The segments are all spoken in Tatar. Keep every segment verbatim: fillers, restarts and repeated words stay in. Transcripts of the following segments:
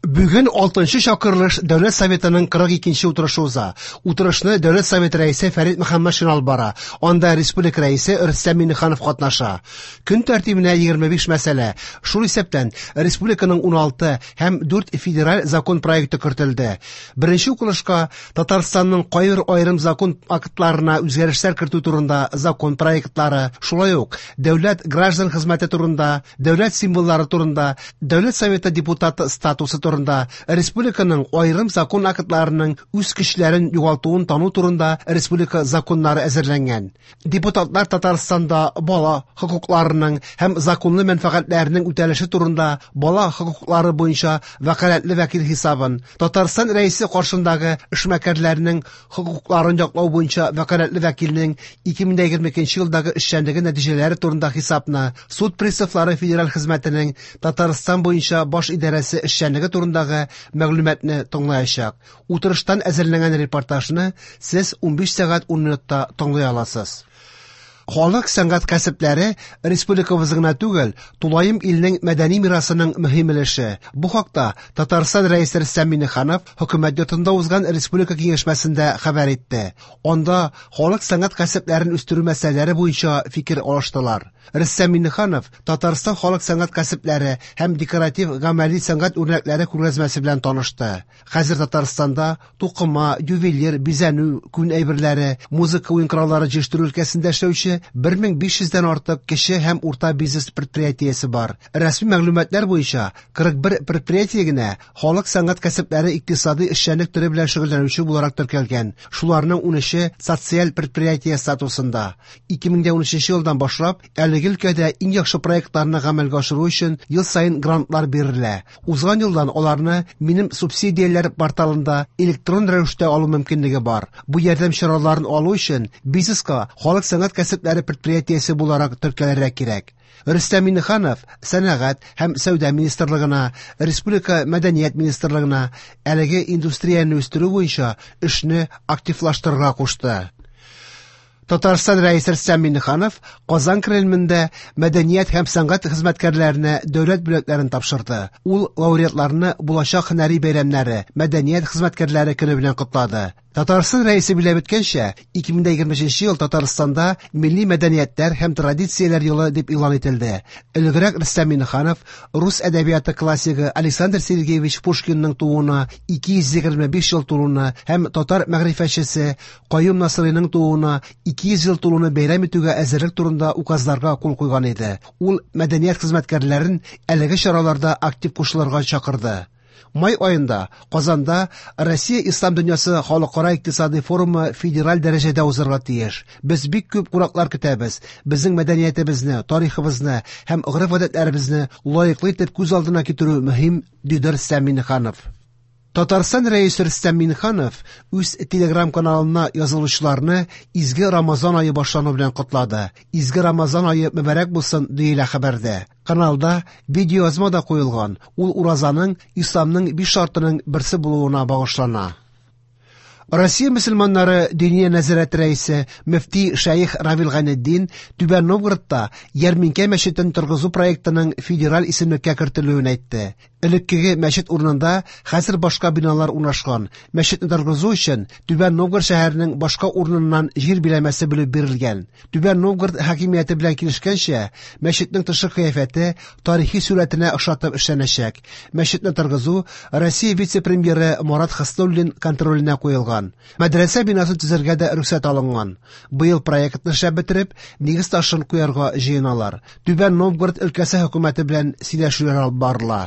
Бүген алтынчы чакырылыш Дәүләт Советының кырык икенче утырышы уза. Утырышны Дәүләт Советы рәисе Фәрит Мөхәммәтшин алып бара. Анда республика рәисе Рөстәм Миңнеханов катнаша. Көн тәртибенә егерме биш мәсьәлә, шул исәптән республиканың уналты һәм дүрт федераль закон проекты кертелде. Беренче укылышка Татарстанның кайбер аерым закон актларына үзгәрешләр кертү турында закон проектлары, шулай ук дәүләт граждан хезмәте турында, дәүләт символлары турында, Дәүләт Советы депутаты статусы турында, республиканың аерым закон актларының үз көчләрен югалтуын тану турында республика законнары әзерләнгән. Депутатлар Татарстанда бала хокукларының һәм законлы мәнфәгатьләренең үтәлеше турында бала хокуклары буенча вәкаләтле вәкил хисабын, Татарстан рәисе каршындагы эшмәкәрләрнең хокукларын яклау буенча вәкаләтле вәкилнең ике мең егерме икенче елдагы эшчәнлеге нәтиҗәләре турында хисапны, суд приставлары федераль хезмәтенең Татарстан буенча баш идарәсе эшчәнлеге турындагы мәгълүматны тыңлаячак. Утырыштан әзерләнгән репортажны сез унбиш сәгать ун минутта тыңлый аласыз. Халык сәнгать кәсепләре республикабыз гына түгел, тулаем илнең мәдәни мирасының мөһим өлеше. Бу хакта Татарстан рәисе Рөстәм Миңнеханов хөкүмәт йортында узган республика киңәшмәсендә хәбәр итте. Анда халык сәнгать кәсепләрен үстерү мәсьәләләре буенча фикер алыштылар. Рөстәм Миңнеханов Татарстан халык сәнгать кәсепләре һәм декоратив гамәли сәнгать үрнәкләре күргәзмәсе белән танышты. Хәзер Татарстанда тукыма, ювелир, бизәнү, күн әйберләре, музыка уен кораллары җыештыру өлкәсендә эшләүче бер мең биш йөздән артык кече һәм урта бизнес предприятиесе бар. Рәсми мәгълүматлар буенча кырык бер предприятие генә халык сәнгать кәсепләре икътисади эшчәнлек төре белән шөгыльләнүче буларак теркәлгән. Шуларның унөче социаль предприятие статусында. Ике мең дә унөченче елдан башлап әлеге өлкәдә иң яхшы проектларны гамәлгә ашыру өчен ел саен грантлар бирелә. Узган елдан аларны Минем субсидияләр порталында электрон рәвештә алу мөмкинлеге бар. Бу ярдәм чараларын алу өчен бизнеска халык сәнгать кәсепләре предприятиесе буларак теркәлергә кирәк. Рөстәм Миңнеханов Сәнәгать һәм Сәүдә министрлыгына, Республика Мәдәният министрлыгына әлеге индустрияне үстерү буенча эшне активлаштырырга кушты. Татарстан рәисе Рөстәм Миңнеханов Казан Кремлендә мәдәният һәм сәнгать хезмәткәрләренә дәүләт бүләкләрен тапшырды. Ул лауреатларны булачак һөнәри бәйрәмнәре, мәдәният хезмәткәрләре көне белән котлады. Татарстан рәисе билгеләп үткәнчә, ике мең егерме өченче ел Татарстанда милли мәдәниятләр һәм традицияләр елы дип игълан ителде. Элегрәк Рөстәм Миңнеханов рус әдәбияты классигы Александр Сергеевич Пушкинның тууына ике йөз егерме биш ел тулуны һәм татар мәгърифәтчесе Каюм Насыйриның тууына ике йөз ел тулуны бәйрәм итүгә әзерлек турында указларга кул куйган иде. Ул мәдәният хезмәткәрләрен әлеге чараларда актив кушылырга чакырды. Май аенда Казанда Россия Ислам дөньясы халыкара икътисади форумы федераль дәрәҗәдә узарга тиеш. Без бик күп кунаклар көтәбез. Безнең мәдәниятебезне, тарихыбызны һәм гореф-гадәтләребезне лаеклы итеп күз алдына китерү мөһим, диде Рөстәм Миңнеханов. Татарстан рәисе Рөстәм Миңнеханов үз Телеграм каналына язылучыларны Изге Рамазан ае башлану белән котлады. Изге Рамазан ае мөбарәк булсын, диелә хәбәрдә. Каналда видеоязма да куелган. Ул уразаның исламның биш шартының берсе булуына багышлана. Россия мөселманнары Диния нәзарәте рәисе мөфти Шәех Равил Гайнетдин Түбән Новгородта Ярминкә мәчетен торгызу проектының федераль исемлеккә кертелүен әйтте. Элеккеге мәчет урынында хәзер башка биналар урнашкан. Мәчетне торгызу өчен Түбән Новгород шәһәренең башка урыныннан җир биләмәсе бүлеп бирелгән. Түбән Новгород хакимияте белән килешкәнчә, мәчетнең тышкы кыяфәте тарихи сурәтенә охшатып эшләнәчәк. Мәчетне торгызу Россия вице-премьеры Марат Хуснуллин контроленә куелган. Мәдрәсә бинасын төзергә дә рөхсәт алынган. Быел проектны эшләп бетереп, нигез ташын куярга җыеналар. Түбән Новгород өлкәсе хөкүмәте белән сөйләшүләр алып барыла.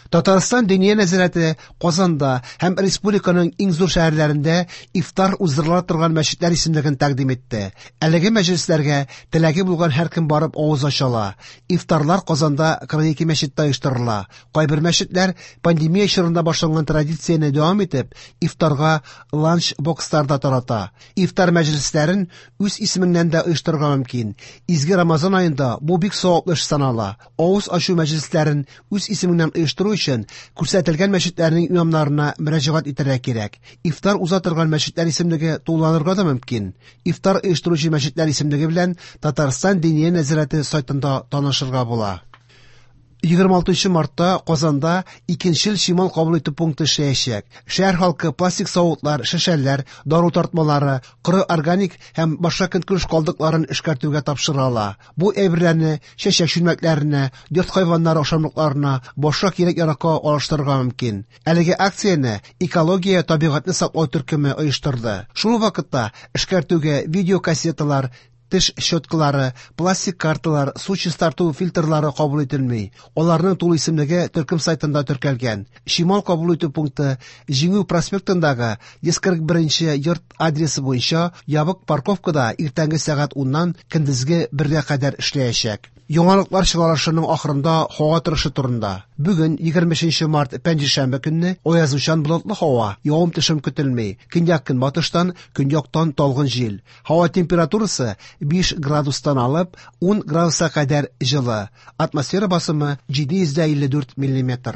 Татарстан Диния нәзарәте Казанда һәм республиканың иң зур шәһәрләрендә ифтар уздырыла торган мәчетләр исемлеген тәкъдим итте. Әлеге мәҗлесләргә теләге булган һәркем барып авыз ача ала. Ифтарлар Казанда кырык ике мәчеттә оештырыла. Кайбер мәчетләр пандемия чорында башланган традицияне дәвам итеп, ифтарга ланч-бокслар да тарата. Ифтар мәҗлесләрен үз исемеңнән дә оештырырга мөмкин. Изге Рамазан аенда бу бик саваплы эш санала. Авыз ачу мәҗлесләрен үз исемеңнән оештыру өчен күрсәтелгән мәчетләрнең имамнарына мөрәҗәгать итәргә кирәк. Ифтар уза торган мәчетләр исемлеге тулыланырга да мөмкин. Ифтар оештыручы мәчетләр исемлеге белән Татарстан Диния нәзарәте сайтында танышырга була. Егерме алтынчы мартта Казанда икенчел чимал кабул итү пункты эшләячәк. Шәһәр халкы пластик савытлар, шешәләр, дару тартмалары, коры органик һәм башка көнкүреш калдыкларын эшкәртүгә тапшыра ала. Бу әйберләрне чәчәк чүлмәкләренә, йорт хайваннары ашамлыкларына, башка кирәк-яракка алыштырырга мөмкин. Әлеге акцияне экология табигатьне саклау төркеме оештырды. Шул ук вакытта эшкәртүгә видеокассеталар, теш щеткалары, пластик карталар, су чистарту фильтрлары кабул ителми. Аларның тулы исемлеге төркем сайтында теркәлгән. Чимал кабул итү пункты Җиңү проспектындагы йөз кырык беренче йорт адресы буенча ябык парковкада иртәнге сәгать уннан көндезге бергә кадәр эшләячәк. Яңалыклар чыгарылышының ахырында һава торышы турында. Бүген егерме өченче март пәнҗешәмбе көнне аязучан болытлы һава, явым-төшем көтелми. Көньяк-көнбатыштан, көньяктан талгын җил. Һава температурасы биш градустан алып ун градуска кадәр җылы. Атмосфера басымы җиде йөз дә илле дүрт миллиметр.